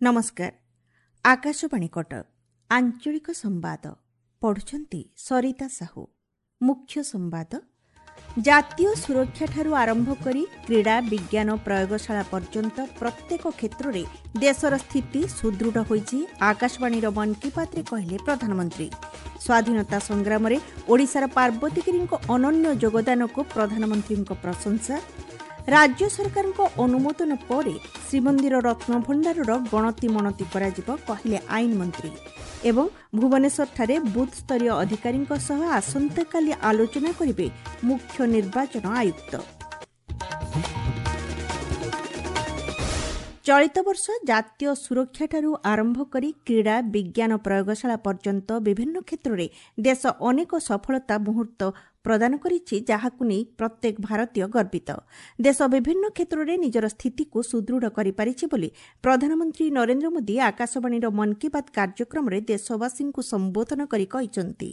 ନମସ୍କାର, ଆକାଶବାଣୀ କଟକ, ଆଞ୍ଚଳିକ ସମ୍ବାଦ ପଢ଼ୁଛନ୍ତି ସରିତା ସାହୁ। ମୁଖ୍ୟ ସମ୍ବାଦ। ଜାତୀୟ ସୁରକ୍ଷାଠାରୁ ଆରମ୍ଭ କରି କ୍ରୀଡ଼ା, ବିଜ୍ଞାନ ପ୍ରୟୋଗଶାଳା ପର୍ଯ୍ୟନ୍ତ ପ୍ରତ୍ୟେକ କ୍ଷେତ୍ରରେ ଦେଶର ସ୍ଥିତି ସୁଦୃଢ଼ ହୋଇଛି, ଆକାଶବାଣୀର ମନ୍ କି ବାତ୍ରେ କହିଲେ ପ୍ରଧାନମନ୍ତ୍ରୀ। ସ୍ୱାଧୀନତା ସଂଗ୍ରାମରେ ଓଡ଼ିଶାର ପାର୍ବତୀଗିରିଙ୍କ ଅନନ୍ୟ ଯୋଗଦାନକୁ ପ୍ରଧାନମନ୍ତ୍ରୀଙ୍କ ପ୍ରଶଂସା। ରାଜ୍ୟ ସରକାରଙ୍କ ଅନୁମୋଦନ ପରେ ଶ୍ରୀମନ୍ଦିର ରତ୍ନଭଣ୍ଡାରର ଗଣତି ମଣତି କରାଯିବ, କହିଲେ ଆଇନ ମନ୍ତ୍ରୀ। ଏବଂ ଭୁବନେଶ୍ୱରଠାରେ ବୁଥ୍ସ୍ତରୀୟ ଅଧିକାରୀଙ୍କ ସହ ଆସନ୍ତାକାଲି ଆଲୋଚନା କରିବେ ମୁଖ୍ୟ ନିର୍ବାଚନ ଆୟୁକ୍ତ। ଚଳିତ ବର୍ଷ ଜାତୀୟ ସୁରକ୍ଷାଠାରୁ ଆରମ୍ଭ କରି କ୍ରୀଡ଼ା, ବିଜ୍ଞାନ ପ୍ରୟୋଗଶାଳା ପର୍ଯ୍ୟନ୍ତ ବିଭିନ୍ନ କ୍ଷେତ୍ରରେ ଦେଶ ଅନେକ ସଫଳତା ମୁହୂର୍ତ୍ତ ପ୍ରଦାନ କରିଛି, ଯାହାକୁ ନେଇ ପ୍ରତ୍ୟେକ ଭାରତୀୟ ଗର୍ବିତ। ଦେଶ ବିଭିନ୍ନ କ୍ଷେତ୍ରରେ ନିଜର ସ୍ଥିତିକୁ ସୁଦୃଢ଼ କରିପାରିଛି ବୋଲି ପ୍ରଧାନମନ୍ତ୍ରୀ ନରେନ୍ଦ୍ର ମୋଦି ଆକାଶବାଣୀର ମନ୍ କି ବାତ୍ କାର୍ଯ୍ୟକ୍ରମରେ ଦେଶବାସୀଙ୍କୁ ସମ୍ବୋଧନ କରି କହିଛନ୍ତି।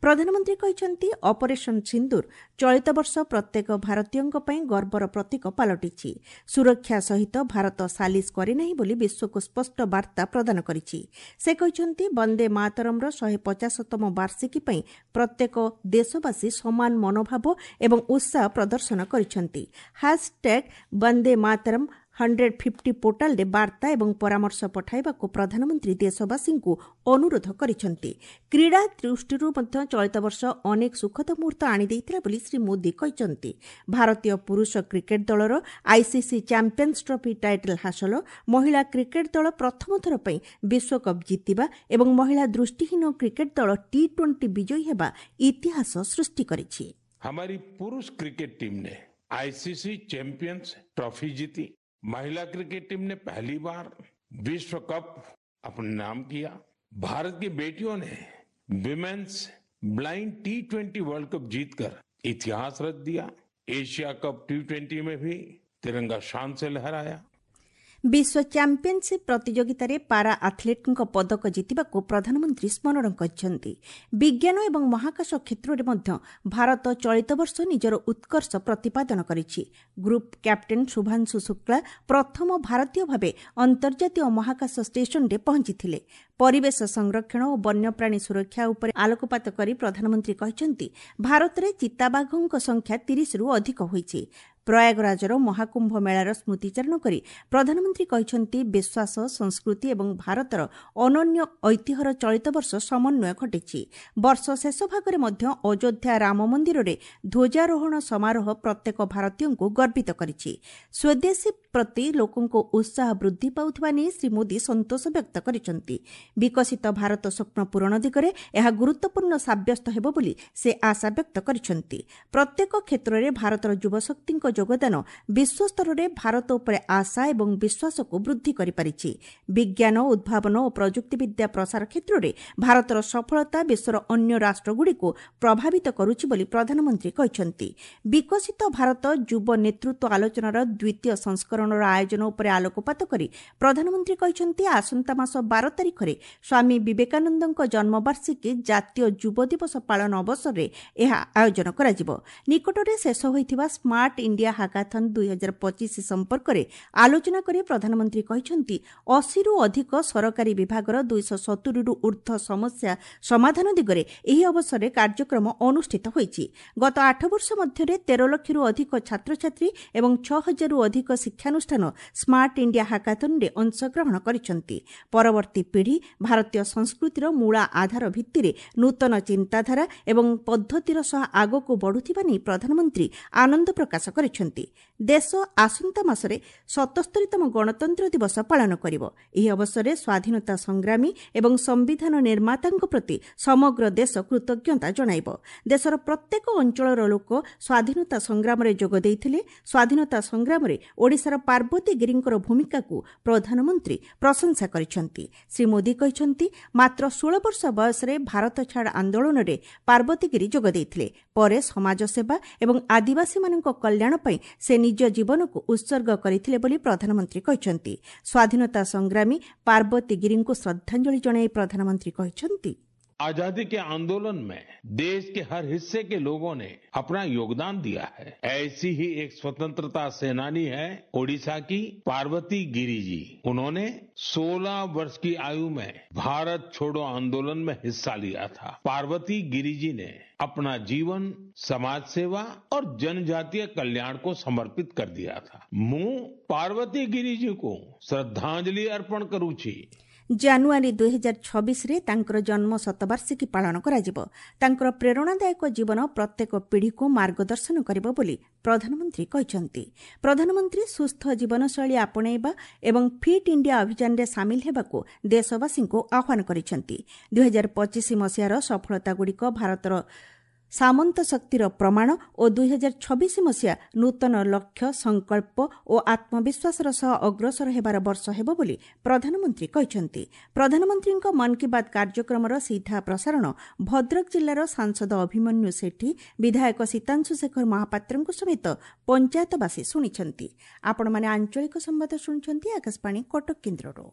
ପ୍ରଧାନମନ୍ତ୍ରୀ କହିଛନ୍ତି, ଅପରେସନ୍ ସିନ୍ଦୁର ଚଳିତ ବର୍ଷ ପ୍ରତ୍ୟେକ ଭାରତୀୟଙ୍କ ପାଇଁ ଗର୍ବର ପ୍ରତୀକ ପାଲଟିଛି। ସୁରକ୍ଷା ସହିତ ଭାରତ ସାଲିସ କରିନାହିଁ ବୋଲି ବିଶ୍ୱକୁ ସ୍ପଷ୍ଟ ବାର୍ତ୍ତା ପ୍ରଦାନ କରିଛି। ସେ କହିଛନ୍ତି, ବନ୍ଦେ ମାତରମ୍ର 150ତମ ବାର୍ଷିକୀ ପାଇଁ ପ୍ରତ୍ୟେକ ଦେଶବାସୀ ସମାନ ମନୋଭାବ ଏବଂ ଉତ୍ସାହ ପ୍ରଦର୍ଶନ କରିଛନ୍ତି। ହ୍ୟାସ୍ଟ୍ୟାଗ୍ ବନ୍ଦେ ମାତରମ୍ 150 ପୋର୍ଟାଲରେ ବାର୍ତ୍ତା ଏବଂ ପରାମର୍ଶ ପଠାଇବାକୁ ପ୍ରଧାନମନ୍ତ୍ରୀ ଦେଶବାସୀଙ୍କୁ ଅନୁରୋଧ କରିଛନ୍ତି। କ୍ରୀଡ଼ା ଦୃଷ୍ଟିରୁ ମଧ୍ୟ ଚଳିତ ବର୍ଷ ଅନେକ ସୁଖଦ ମୁହୂର୍ତ୍ତ ଆଣିଦେଇଥିଲା ବୋଲି ଶ୍ରୀ ମୋଦି କହିଛନ୍ତି। ଭାରତୀୟ ପୁରୁଷ କ୍ରିକେଟ୍ ଦଳର ଆଇସିସି ଚାମ୍ପିୟନ୍ସ ଟ୍ରଫି ଟାଇଟଲ୍ ହାସଲ, ମହିଳା କ୍ରିକେଟ୍ ଦଳ ପ୍ରଥମ ଥର ପାଇଁ ବିଶ୍ୱକପ୍ ଜିତିବା ଏବଂ ମହିଳା ଦୃଷ୍ଟିହୀନ କ୍ରିକେଟ୍ ଦଳ ଟି 20 ବିଜୟୀ ହେବା ଇତିହାସ ସୃଷ୍ଟି କରିଛି। हमारी पुरुष क्रिकेट टीम ने आईसीसी चैंपियंस ट्रॉफी जीती, महिला क्रिकेट टीम ने पहली बार विश्व कप अपने नाम किया, भारत की बेटियों ने विमेन्स ब्लाइंड टी20 वर्ल्ड कप जीतकर इतिहास रच दिया, एशिया कप टी20 में भी तिरंगा शान से लहराया। ବିଶ୍ୱ ଚାମ୍ପିୟନସିପ୍ ପ୍ରତିଯୋଗିତାରେ ପାରା ଆଥଲେଟ୍ଙ୍କ ପଦକ ଜିତିବାକୁ ପ୍ରଧାନମନ୍ତ୍ରୀ ସ୍ମରଣ କରିଛନ୍ତି। ବିଜ୍ଞାନ ଏବଂ ମହାକାଶ କ୍ଷେତ୍ରରେ ମଧ୍ୟ ଭାରତ ଚଳିତ ବର୍ଷ ନିଜର ଉତ୍କର୍ଷ ପ୍ରତିପାଦନ କରିଛି। ଗ୍ରୁପ୍ କ୍ୟାପ୍ଟେନ୍ ଶୁଭାଂଶୁ ଶୁକ୍ଳା ପ୍ରଥମ ଭାରତୀୟ ଭାବେ ଅନ୍ତର୍ଜାତୀୟ ମହାକାଶ ଷ୍ଟେସନରେ ପହଞ୍ଚିଥିଲେ। ପରିବେଶ ସଂରକ୍ଷଣ ଓ ବନ୍ୟପ୍ରାଣୀ ସୁରକ୍ଷା ଉପରେ ଆଲୋକପାତ କରି ପ୍ରଧାନମନ୍ତ୍ରୀ କହିଛନ୍ତି, ଭାରତରେ ଚିତାବାଘଙ୍କ ସଂଖ୍ୟା 30ରୁ ଅଧିକ ହୋଇଛି। ପ୍ରୟାଗରାଜର ମହାକୁମ୍ଭ ମେଳାର ସ୍ମୃତିଚାରଣ କରି ପ୍ରଧାନମନ୍ତ୍ରୀ କହିଛନ୍ତି, ବିଶ୍ୱାସ, ସଂସ୍କୃତି ଏବଂ ଭାରତର ଅନନ୍ୟ ଐତିହ୍ୟର ଚଳିତ ବର୍ଷ ସମନ୍ୱୟ ଘଟିଛି। ବର୍ଷ ଶେଷ ଭାଗରେ ମଧ୍ୟ ଅଯୋଧ୍ୟା ରାମ ମନ୍ଦିରରେ ଧ୍ୱଜାରୋହଣ ସମାରୋହ ପ୍ରତ୍ୟେକ ଭାରତୀୟଙ୍କୁ ଗର୍ବିତ କରିଛି। ସ୍ୱଦେଶୀ ପ୍ରତି ଲୋକଙ୍କ ଉତ୍ସାହ ବୃଦ୍ଧି ପାଉଥିବା ନେଇ ଶ୍ରୀ ମୋଦି ସନ୍ତୋଷ ବ୍ୟକ୍ତ କରିଛନ୍ତି। ବିକଶିତ ଭାରତ ସ୍ୱପ୍ନ ପୂରଣ ଦିଗରେ ଏହା ଗୁରୁତ୍ୱପୂର୍ଣ୍ଣ ସାବ୍ୟସ୍ତ ହେବ ବୋଲି ସେ ଆଶା ବ୍ୟକ୍ତ କରିଛନ୍ତି। ପ୍ରତ୍ୟେକ କ୍ଷେତ୍ରରେ ଭାରତର ଯୁବଶକ୍ତିଙ୍କ ଯୋଗଦାନ ବିଶ୍ୱସ୍ତରରେ ଭାରତ ଉପରେ ଆଶା ଏବଂ ବିଶ୍ୱାସକୁ ବୃଦ୍ଧି କରିପାରିଛି। ବିଜ୍ଞାନ, ଉଦ୍ଭାବନ ଓ ପ୍ରଯୁକ୍ତିବିଦ୍ୟା ପ୍ରସାର କ୍ଷେତ୍ରରେ ଭାରତର ସଫଳତା ବିଶ୍ୱର ଅନ୍ୟ ରାଷ୍ଟ୍ରଗୁଡ଼ିକୁ ପ୍ରଭାବିତ କରୁଛି ବୋଲି ପ୍ରଧାନମନ୍ତ୍ରୀ କହିଛନ୍ତି। ବିକଶିତ ଭାରତ ଯୁବ ନେତୃତ୍ୱ ଆଲୋଚନାର ଦ୍ୱିତୀୟ ସଂସ୍କରଣର ଆୟୋଜନ ଉପରେ ଆଲୋକପାତ କରି ପ୍ରଧାନମନ୍ତ୍ରୀ କହିଛନ୍ତି, ଆସନ୍ତା ମାସ 12 ତାରିଖରେ ସ୍ୱାମୀ ବିବେକାନନ୍ଦଙ୍କ ଜନ୍ମବାର୍ଷିକୀ ଜାତୀୟ ଯୁବ ଦିବସ ପାଳନ ଅବସରରେ ଏହା ଆୟୋଜନ କରାଯିବ। ନିକଟରେ ଶେଷ ହୋଇଥିବା ସ୍ମାର୍ଟ ଇଣ୍ଡିଆ ହାକାଥନ୍ 2025 ସମ୍ପର୍କରେ ଆଲୋଚନା କରି ପ୍ରଧାନମନ୍ତ୍ରୀ କହିଛନ୍ତି, 80ରୁ ଅଧିକ ସରକାରୀ ବିଭାଗର 270ରୁ ଊର୍ଦ୍ଧ୍ୱ ସମସ୍ୟା ସମାଧାନ ଦିଗରେ ଏହି ଅବସରରେ କାର୍ଯ୍ୟକ୍ରମ ଅନୁଷ୍ଠିତ ହୋଇଛି। ଗତ 8 ବର୍ଷ ମଧ୍ୟରେ 13 ଲକ୍ଷରୁ ଅଧିକ ଛାତ୍ରଛାତ୍ରୀ ଏବଂ 6 ହଜାରରୁ ଅଧିକ ଶିକ୍ଷାନୁଷ୍ଠାନ ସ୍ମାର୍ଟ ଇଣ୍ଡିଆ ହାକାଥନ୍ରେ ଅଂଶଗ୍ରହଣ କରିଛନ୍ତି। ପରବର୍ତ୍ତୀ ପିଢ଼ି ଭାରତୀୟ ସଂସ୍କୃତିର ମୂଳ ଆଧାର ଭିତ୍ତିରେ ନୂତନ ଚିନ୍ତାଧାରା ଏବଂ ପଦ୍ଧତିର ସହ ଆଗକୁ ବଢ଼ୁଥିବା ନେଇ ପ୍ରଧାନମନ୍ତ୍ରୀ ଆନନ୍ଦ ପ୍ରକାଶ କରିଛନ୍ତି। ଦେଶ ଆସନ୍ତା ମାସରେ 77ତମ ଗଣତନ୍ତ୍ର ଦିବସ ପାଳନ କରିବ। ଏହି ଅବସରରେ ସ୍ୱାଧୀନତା ସଂଗ୍ରାମୀ ଏବଂ ସମ୍ବିଧାନ ନିର୍ମାତାଙ୍କ ପ୍ରତି ସମଗ୍ର ଦେଶ କୃତଜ୍ଞତା ଜଣାଇବ। ଦେଶର ପ୍ରତ୍ୟେକ ଅଞ୍ଚଳର ଲୋକ ସ୍ୱାଧୀନତା ସଂଗ୍ରାମରେ ଯୋଗ ଦେଇଥିଲେ। ସ୍ୱାଧୀନତା ସଂଗ୍ରାମରେ ଓଡ଼ିଶାର ପାର୍ବତୀ ଗିରିଙ୍କର ଭୂମିକାକୁ ପ୍ରଧାନମନ୍ତ୍ରୀ ପ୍ରଶଂସା କରିଛନ୍ତି। ଶ୍ରୀ ମୋଦି କହିଛନ୍ତି, ମାତ୍ର 16 ବର୍ଷ ବୟସରେ ଭାରତ ଛାଡ଼ ଆନ୍ଦୋଳନରେ ପାର୍ବତୀ ଗିରି ଯୋଗ ଦେଇଥିଲେ। ପରେ ସମାଜସେବା ଏବଂ ଆଦିବାସୀମାନଙ୍କ କଲ୍ୟାଣ ପାଇଁ ସେ ନିଜ ଜୀବନକୁ ଉତ୍ସର୍ଗ କରିଥିଲେ ବୋଲି ପ୍ରଧାନମନ୍ତ୍ରୀ କହିଛନ୍ତି। ସ୍ୱାଧୀନତା ସଂଗ୍ରାମୀ ପାର୍ବତୀ ଗିରିଙ୍କୁ ଶ୍ରଦ୍ଧାଞ୍ଜଳି ଜଣାଇ ପ୍ରଧାନମନ୍ତ୍ରୀ କହିଛନ୍ତି, आजादी के आंदोलन में देश के हर हिस्से के लोगों ने अपना योगदान दिया है। ऐसी ही एक स्वतंत्रता सेनानी है ओडिशा की पार्वती गिरी जी। उन्होंने 16 वर्ष की आयु में भारत छोड़ो आंदोलन में हिस्सा लिया था। पार्वती गिरी जी ने अपना जीवन समाज सेवा और जनजातीय कल्याण को समर्पित कर दिया था। मु पार्वती गिरी जी को श्रद्धांजलि अर्पण करूँ। ଜାନୁଆରୀ 2026ରେ ତାଙ୍କର ଜନ୍ମ ଶତବାର୍ଷିକୀ ପାଳନ କରାଯିବ। ତାଙ୍କର ପ୍ରେରଣାଦାୟକ ଜୀବନ ପ୍ରତ୍ୟେକ ପିଢ଼ିକୁ ମାର୍ଗଦର୍ଶନ କରିବ ବୋଲି ପ୍ରଧାନମନ୍ତ୍ରୀ କହିଛନ୍ତି। ପ୍ରଧାନମନ୍ତ୍ରୀ ସୁସ୍ଥ ଜୀବନଶୈଳୀ ଆପଣେଇବା ଏବଂ ଫିଟ୍ ଇଣ୍ଡିଆ ଅଭିଯାନରେ ସାମିଲ ହେବାକୁ ଦେଶବାସୀଙ୍କୁ ଆହ୍ୱାନ କରିଛନ୍ତି। 2025 ମସିହାର ସଫଳତାଗୁଡ଼ିକ ଭାରତର ସାମନ୍ତ ଶକ୍ତିର ପ୍ରମାଣ ଓ 2026 ମସିହା ନୂତନ ଲକ୍ଷ୍ୟ, ସଂକଳ୍ପ ଓ ଆତ୍ମବିଶ୍ୱାସର ସହ ଅଗ୍ରସର ହେବାର ବର୍ଷ ହେବ ବୋଲି ପ୍ରଧାନମନ୍ତ୍ରୀ କହିଛନ୍ତି। ପ୍ରଧାନମନ୍ତ୍ରୀଙ୍କ ମନ୍ କି ବାତ୍ କାର୍ଯ୍ୟକ୍ରମର ସିଧା ପ୍ରସାରଣ ଭଦ୍ରକ ଜିଲ୍ଲାର ସାଂସଦ ଅଭିମନ୍ୟୁ ସେଠୀ, ବିଧାୟକ ସୀତାଂଶୁ ଶେଖର ମହାପାତ୍ରଙ୍କ ସମେତ ପଞ୍ଚାୟତବାସୀ ଶୁଣିଛନ୍ତି। ଆପଣମାନେ ଆଞ୍ଚଳିକ ସମ୍ବାଦ ଶୁଣୁଛନ୍ତି ଆକାଶବାଣୀ କଟକ କେନ୍ଦ୍ରରୁ।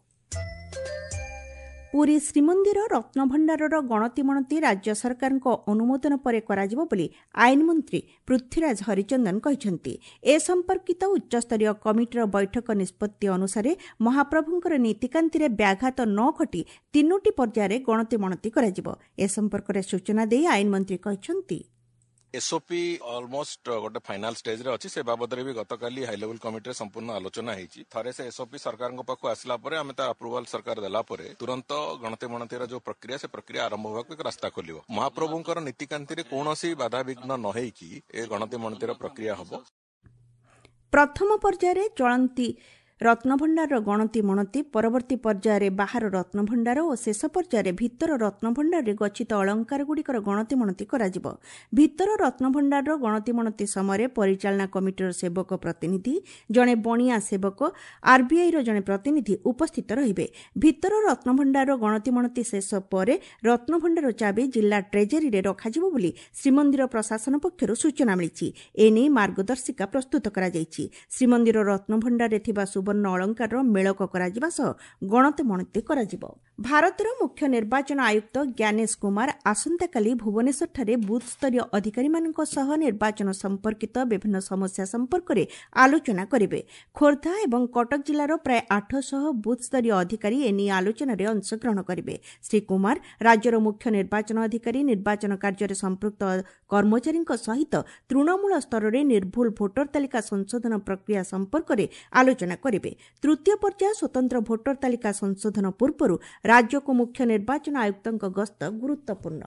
ପୁରୀ ଶ୍ରୀମନ୍ଦିର ରତ୍ନଭଣ୍ଡାରର ଗଣତିମଣତି ରାଜ୍ୟ ସରକାରଙ୍କ ଅନୁମୋଦନ ପରେ କରାଯିବ ବୋଲି ଆଇନମନ୍ତ୍ରୀ ପୃଥ୍ୱୀରାଜ ହରିଚନ୍ଦନ କହିଛନ୍ତି। ଏ ସମ୍ପର୍କିତ ଉଚ୍ଚସ୍ତରୀୟ କମିଟିର ବୈଠକ ନିଷ୍ପତ୍ତି ଅନୁସାରେ ମହାପ୍ରଭୁଙ୍କର ନୀତିକାନ୍ତିରେ ବ୍ୟାଘାତ ନ ଘଟି 3ଟି ପର୍ଯ୍ୟାୟରେ ଗଣତିମଣତି କରାଯିବ। ଏ ସମ୍ପର୍କରେ ସୂଚନା ଦେଇ ଆଇନମନ୍ତ୍ରୀ କହିଛନ୍ତି, ଏସ୍ଓପି ଅଲମୋଷ୍ଟ ଗୋଟେ ଫାଇନାଲ ଷ୍ଟେଜରେ ଅଛି। ସେ ବାବଦରେ ବି ଗତକାଲି ହାଇ ଲେଭେଲ କମିଟିରେ ସମ୍ପୂର୍ଣ୍ଣ ଆଲୋଚନା ହେଇଛି। ଥରେ ସେ ଏସ୍ଓପି ସରକାରଙ୍କ ପାଖକୁ ଆସିଲା ପରେ, ଆମେ ତା ଆପ୍ରୁଭାଲ ସରକାର ଦେଲା ପରେ ତୁରନ୍ତ ଗଣତି ମଣତିର ଯୋଉ ପ୍ରକ୍ରିୟା, ସେ ପ୍ରକ୍ରିୟା ଆରମ୍ଭ ହେବାକୁ ଏକ ରାସ୍ତା ଖୋଲିବ। ମହାପ୍ରଭୁଙ୍କର ନୀତିକାନ୍ତିରେ କୌଣସି ବାଧାବିଘ୍ନ ନ ହେଇକି ଏ ଗଣତି ମଣତିର ପ୍ରକ୍ରିୟା ହବ। ପ୍ରଥମ ପର୍ଯ୍ୟାୟରେ ଚଳନ୍ତି ରତ୍ନଭଣ୍ଡାରର ଗଣତି ମଣତି, ପରବର୍ତ୍ତୀ ପର୍ଯ୍ୟାୟରେ ବାହାର ରତ୍ନଭଣ୍ଡାର ଓ ଶେଷ ପର୍ଯ୍ୟାୟରେ ଭିତର ରତ୍ନଭଣ୍ଡାରରେ ଗଚ୍ଛିତ ଅଳଙ୍କାରଗୁଡ଼ିକର ଗଣତି ମଣତି କରାଯିବ। ଭିତର ରତ୍ନଭଣ୍ଡାରର ଗଣତି ମଣତି ସମୟରେ ପରିଚାଳନା କମିଟିର ସେବକ ପ୍ରତିନିଧି, ଜଣେ ବଣିଆ ସେବକ, ଆର୍ବିଆଇର ଜଣେ ପ୍ରତିନିଧି ଉପସ୍ଥିତ ରହିବେ। ଭିତର ରତ୍ନଭଣ୍ଡାରର ଗଣତି ମଣତି ଶେଷ ପରେ ରତ୍ନଭଣ୍ଡାର ଚାବି ଜିଲ୍ଲା ଟ୍ରେଜେରୀରେ ରଖାଯିବ ବୋଲି ଶ୍ରୀମନ୍ଦିର ପ୍ରଶାସନ ପକ୍ଷରୁ ସୂଚନା ମିଳିଛି। ଏନେଇ ମାର୍ଗଦର୍ଶିକା ପ୍ରସ୍ତୁତ କରାଯାଇଛି। ଶ୍ରୀମନ୍ଦିର ରତ୍ନଭଣ୍ଡାରରେ ଥିବା ସୁବର୍ଣ୍ଣ ଅଳଙ୍କାରର ମେଳକ କରାଯିବା ସହ ଗଣତି ମଣତି କରାଯିବ। ଭାରତର ମୁଖ୍ୟ ନିର୍ବାଚନ ଆୟୁକ୍ତ ଜ୍ଞାନେଶ କୁମାର ଆସନ୍ତାକାଲି ଭୁବନେଶ୍ୱରଠାରେ ବୁଥ୍ସ୍ତରୀୟ ଅଧିକାରୀମାନଙ୍କ ସହ ନିର୍ବାଚନ ସମ୍ପର୍କିତ ବିଭିନ୍ନ ସମସ୍ୟା ସମ୍ପର୍କରେ ଆଲୋଚନା କରିବେ। ଖୋର୍ଦ୍ଧା ଏବଂ କଟକ ଜିଲ୍ଲାର ପ୍ରାୟ 800 ବୁଥ୍ସ୍ତରୀୟ ଅଧିକାରୀ ଏନେଇ ଆଲୋଚନାରେ ଅଂଶଗ୍ରହଣ କରିବେ। ଶ୍ରୀ କୁମାର ରାଜ୍ୟର ମୁଖ୍ୟ ନିର୍ବାଚନ ଅଧିକାରୀ, ନିର୍ବାଚନ କାର୍ଯ୍ୟରେ ସମ୍ପୃକ୍ତ କର୍ମଚାରୀଙ୍କ ସହିତ ତୃଣମୂଳ ସ୍ତରରେ ନିର୍ଭୁଲ ଭୋଟର ତାଲିକା ସଂଶୋଧନ ପ୍ରକ୍ରିୟା ସମ୍ପର୍କରେ ଆଲୋଚନା କରିବେ। ତୃତୀୟ ପର୍ଯ୍ୟାୟ ସ୍ୱତନ୍ତ୍ର ଭୋଟର ତାଲିକା ସଂଶୋଧନ ପୂର୍ବରୁ ରାଜ୍ୟକୁ ମୁଖ୍ୟ ନିର୍ବାଚନ ଆୟୁକ୍ତଙ୍କ ଗସ୍ତ ଗୁରୁତ୍ୱପୂର୍ଣ୍ଣ।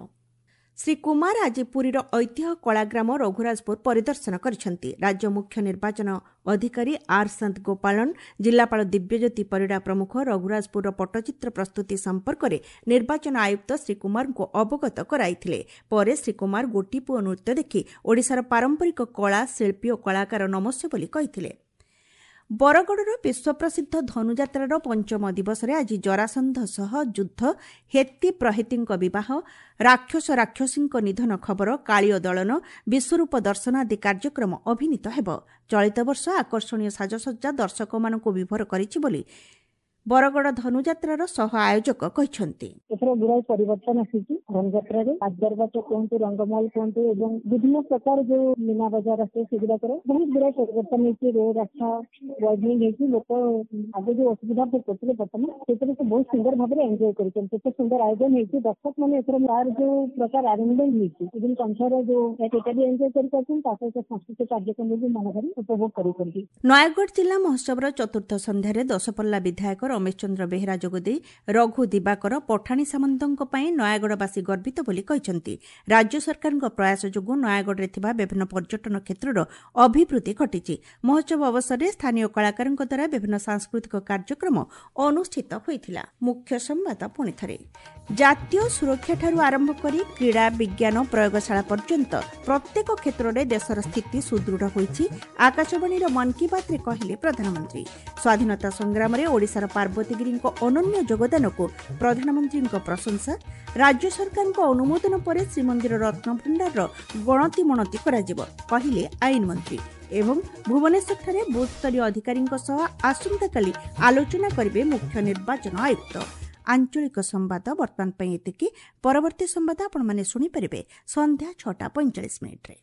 ଶ୍ରୀ କୁମାର ଆଜି ପୁରୀର ଐତିହ୍ୟ କଳାଗ୍ରାମ ରଘୁରାଜପୁର ପରିଦର୍ଶନ କରିଛନ୍ତି। ରାଜ୍ୟ ମୁଖ୍ୟ ନିର୍ବାଚନ ଅଧିକାରୀ ଆର୍ ସନ୍ତ ଗୋପାଳନ, ଜିଲ୍ଲାପାଳ ଦିବ୍ୟଜ୍ୟୋତି ପରିଡ଼ା ପ୍ରମୁଖ ରଘୁରାଜପୁରର ପଟ୍ଟଚିତ୍ର ପ୍ରସ୍ତୁତି ସମ୍ପର୍କରେ ନିର୍ବାଚନ ଆୟୁକ୍ତ ଶ୍ରୀ କୁମାରଙ୍କୁ ଅବଗତ କରାଇଥିଲେ। ପରେ ଶ୍ରୀ କୁମାର ଗୋଟିପୁଅ ନୃତ୍ୟ ଦେଖି ଓଡ଼ିଶାର ପାରମ୍ପରିକ କଳା, ଶିଳ୍ପୀ ଓ କଳାକାର ନମସ୍ୟ ବୋଲି କହିଥିଲେ। ବରଗଡ଼ର ବିଶ୍ୱପ୍ରସିଦ୍ଧ ଧନୁଯାତ୍ରାର ପଞ୍ଚମ ଦିବସରେ ଆଜି ଜରାସନ୍ଧ ସହ ଯୁଦ୍ଧ, ହେତି ପ୍ରହେତିଙ୍କ ବିବାହ, ରାକ୍ଷସ ରାକ୍ଷସୀଙ୍କ ନିଧନ ଖବର, କାଳୀୟ ଦଳନ, ବିଶ୍ୱରୂପ ଦର୍ଶନ ଆଦି କାର୍ଯ୍ୟକ୍ରମ ଅଭିନୀତ ହେବ। ଚଳିତ ବର୍ଷ ଆକର୍ଷଣୀୟ ସାଜସଜ୍ଜା ଦର୍ଶକମାନଙ୍କୁ ବିଭୋର କରିଛି ବୋଲି ବରଗଡ଼ ଧନୁଯାତ୍ରାର ସହ ଆୟୋଜକ କହିଛନ୍ତି। ଏଥର ଗୁଡ଼ାଏ ପରିବର୍ତ୍ତନ ଆସିଛି ଧନୁଯାତ୍ରାରେ। ରାଜଦରବାର କୁହନ୍ତୁ, ରଙ୍ଗମହଲ କୁହନ୍ତୁ ଏବଂ ବିଭିନ୍ନ ପ୍ରକାର ଯୋଉ ମୀନା ବଜାର ଆସେ ସେଗୁଡାକରେ ବହୁତ ଗୁଡ଼ାଏ ପରିବର୍ତ୍ତନ ହେଇଛି। ରୋଡ ରାସ୍ତା ୱାଇଡନିଂ ହେଇଛି। ଲୋକ ଆଗେ ଯୋଉ ଅସୁବିଧା ଭୋଗ କରୁଥିଲେ ବର୍ତ୍ତମାନ ସେଥିରେ ସେ ବହୁତ ସୁନ୍ଦର ଭାବରେ ଏନ୍ଜୟ କରୁଛନ୍ତି। ଏତେ ସୁନ୍ଦର ଆୟୋଜନ ହେଇଛି। ଦର୍ଶକ ମାନେ ଏଥର ତାର ଯୋଉ ପ୍ରକାର ଆରେଞ୍ଜମେଣ୍ଟ ହେଇଛି, ଇଭେନ୍ କଂସର ଯୋଉ ସେଇଟା ବି ଏନ୍ଜୟ କରିପାରୁଛନ୍ତି, ତା ସହିତ ସାଂସ୍କୃତିକ କାର୍ଯ୍ୟକ୍ରମ ବି ମନ ଭରି ଉପଭୋଗ କରୁଛନ୍ତି। ନୟାଗଡ଼ ଜିଲ୍ଲା ମହୋତ୍ସବର ଚତୁର୍ଥ ସନ୍ଧ୍ୟାରେ ଦଶପଲ୍ଲା ବିଧାୟକ ରମେଶ ଚନ୍ଦ୍ର ବେହେରା ଯୋଗଦେଇ ରଘୁ ଦିବାକର, ପଠାଣି ସାମନ୍ତଙ୍କ ପାଇଁ ନୟାଗଡ଼ବାସୀ ଗର୍ବିତ ବୋଲି କହିଛନ୍ତି। ରାଜ୍ୟ ସରକାରଙ୍କ ପ୍ରୟାସ ଯୋଗୁଁ ନୟାଗଡ଼ରେ ଥିବା ବିଭିନ୍ନ ପର୍ଯ୍ୟଟନ କ୍ଷେତ୍ରର ଅଭିବୃଦ୍ଧି ଘଟିଛି। ମହୋତ୍ସବ ଅବସରରେ ସ୍ଥାନୀୟ କଳାକାରଙ୍କ ଦ୍ୱାରା ବିଭିନ୍ନ ସାଂସ୍କୃତିକ କାର୍ଯ୍ୟକ୍ରମ ଅନୁଷ୍ଠିତ ହୋଇଥିଲା। ମୁଖ୍ୟ ସମ୍ବାଦ ପୁଣିଥରେ। ଜାତୀୟ ସୁରକ୍ଷାଠାରୁ ଆରମ୍ଭ କରି କ୍ରୀଡ଼ା, ବିଜ୍ଞାନ, ପ୍ରୟୋଗଶାଳା ପର୍ଯ୍ୟନ୍ତ ପ୍ରତ୍ୟେକ କ୍ଷେତ୍ରରେ ଦେଶର ସ୍ଥିତି ସୁଦୃଢ଼ ହୋଇଛି, ଆକାଶବାଣୀର ମନ୍ କି ବାତ୍ରେ କହିଲେ ପ୍ରଧାନମନ୍ତ୍ରୀ। ସ୍ୱାଧୀନତା ସଂଗ୍ରାମରେ ଓଡ଼ିଶାର ପାର୍ବତୀଗିରିଙ୍କ ଅନନ୍ୟ ଯୋଗଦାନକୁ ପ୍ରଧାନମନ୍ତ୍ରୀଙ୍କ ପ୍ରଶଂସା। ରାଜ୍ୟ ସରକାରଙ୍କ ଅନୁମୋଦନ ପରେ ଶ୍ରୀମନ୍ଦିର ରତ୍ନଭଣ୍ଡାରର ଗଣତି ମଣତି କରାଯିବ, କହିଲେ ଆଇନମନ୍ତ୍ରୀ। ଏବଂ ଭୁବନେଶ୍ୱରଠାରେ ବୁଥ୍ସ୍ତରୀୟ ଅଧିକାରୀଙ୍କ ସହ ଆସନ୍ତାକାଲି ଆଲୋଚନା କରିବେ ମୁଖ୍ୟ ନିର୍ବାଚନ ଆୟୁକ୍ତ। ଆଞ୍ଚଳିକ ସମ୍ବାଦ ବର୍ତ୍ତମାନ ପାଇଁ ଏତିକି। ପରବର୍ତ୍ତୀ ସମ୍ବାଦ ଆପଣମାନେ ଶୁଣିପାରିବେ ସନ୍ଧ୍ୟା 6ଟା 45 ମିନିଟ୍ରେ।